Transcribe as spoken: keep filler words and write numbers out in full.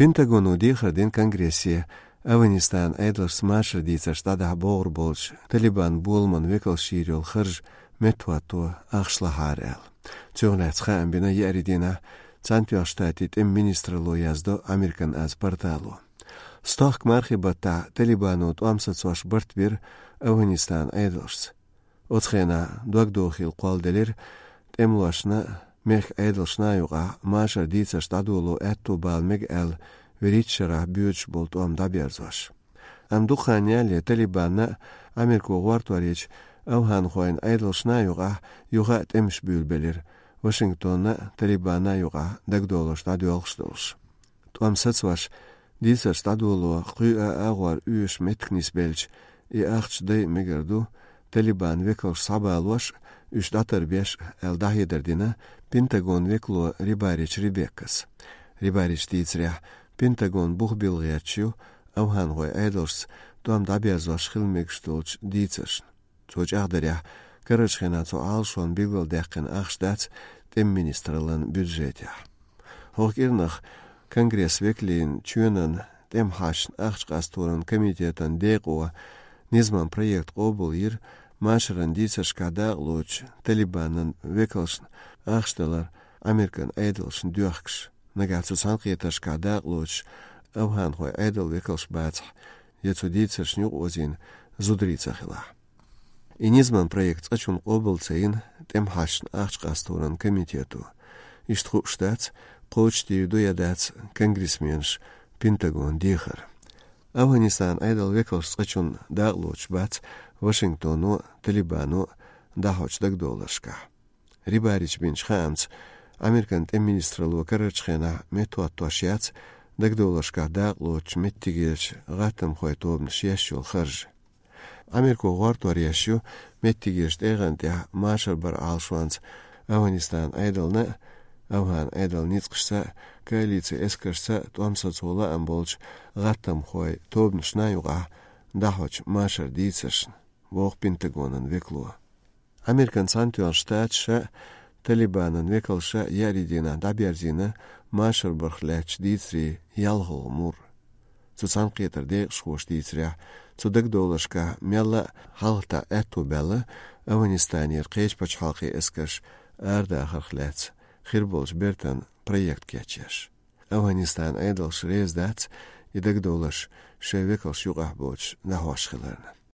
Пентагоно дехар дина Конгрессе, Афганистанан Ӏедалшца машар дийцарш дӀадахьа богӀур болчу Талибан боламан векалша йийр йолу харж меттахӀотто ахчалахьара аьлла. Цунах лаьцна хаам бина еарин дийнахь Цхьаьнатоьхначу Штатийн тӀеман министралло, яздо Американ аз портало. Стохка мархин баттахь Талибано тӀом сацош барт бира Афганистанан Ӏедалшца. Оцу хенахь догдохийла кхолладелира тӀемалошна а, мехкан Ӏедалшна а юкъахь машар дийцарш дӀадоло аьтто бала мега аьлла, вуьрхӀитта шарахь боьдуш болу тӀом дӀаберзош. Амма дукха хан ялале Талибанна а, Америко гӀортор ечу афганхойн Ӏедалшна а юкъахь юха а тӀемаш буьйлабелира, Вашингтонна а, Талибанна а юкъахь дагадовларш дӀадоьлхуш долуш. ТӀом сацош, дийцарш дӀадоло кхин а агӀор оьшуш меттиг нисбелча, и ахча дайа мегар ду, Талибан векалш схьабалош а, уьш дӀатарбеш а, аьлла дӀахьедар дина Пентагон векало Рибарич Ребеккас. Рибарича дийцарехь, Пентагон бух билла гӀерташ ю афганхойн Ӏедалшца тӀом дӀаберзош хила мегаш долчу дийцаршна. Цо чӀагӀдарехь, карарчу хенахь цу Ӏалашонна билгалдаьккхина ахча дац тӀеман министраллан бюджетехь. ХӀокху кӀирнах Конгресс векалийн чоьнан тӀеман хьашташна ахча къасторан комитетан декъо низаман проект къобалйира, машаран дийцаршкахь дакъалоцучу Талибанан векалшна ахча далар Американ Ӏедалшна доьхкуш. Нагахь цу цхьаьнакхетаршкахь дакъалоцуш афганхойн Ӏедалан векалш бацахь, я цу дийцаршна юкъаозийна зударий ца хилахь. И низаман проект цкъачунна къобал ца йина тӀеман хьашташна ахча къасторан комитето. Иштта хууш дац, кхочушдийр ду я дац конгрессменаш Пентагон дехар. Афганистанан Ӏедалан векалш цкъачунна дакъалоцуш бац Вашингтоно а, Талибано а дӀахьочу дагадовларшкахь. Рибарича бинчу хаамца, Американ тӀеман министралло карарчу хенахь меттахӀоттош яц дагадовларшкахь дакъалоцучу меттигерчу гӀаттамхойн тобанаша еш йолу харж. Америко гӀортор еш ю меттигерчу тӀегӀан тӀехь машар баран Ӏалашонца Афганистанан Ӏедална а, афган Ӏедалан ницкъашца а, коалицин эскаршца а тӀом сацо лаам болчу гӀаттамхойн тобанашна а юкъахь дӀахьочу машар дийцаршна, боху Пентагонан векало. Американ Цхьаьнатоьхначу Штаташа а, Талибанан векалша а еарин дийнахь дӀаберзийна машар барх лаьттачу дийцарийн ялхалгӀа мур. Цу цхьаьнакхетаран декъашхоша дийцарехь, цу дагадовларшкахь мелла а хьалхатаӀа аьтто баьлла Афганистанера кхечу пачхьалкхийн эскарш арадахарх лаьцна хир болчу бертан проект кечъеш. Афганистанан Ӏедалш реза дац и дагадовларш шайн векалш юкъахь боцуш дӀахьош хиларна.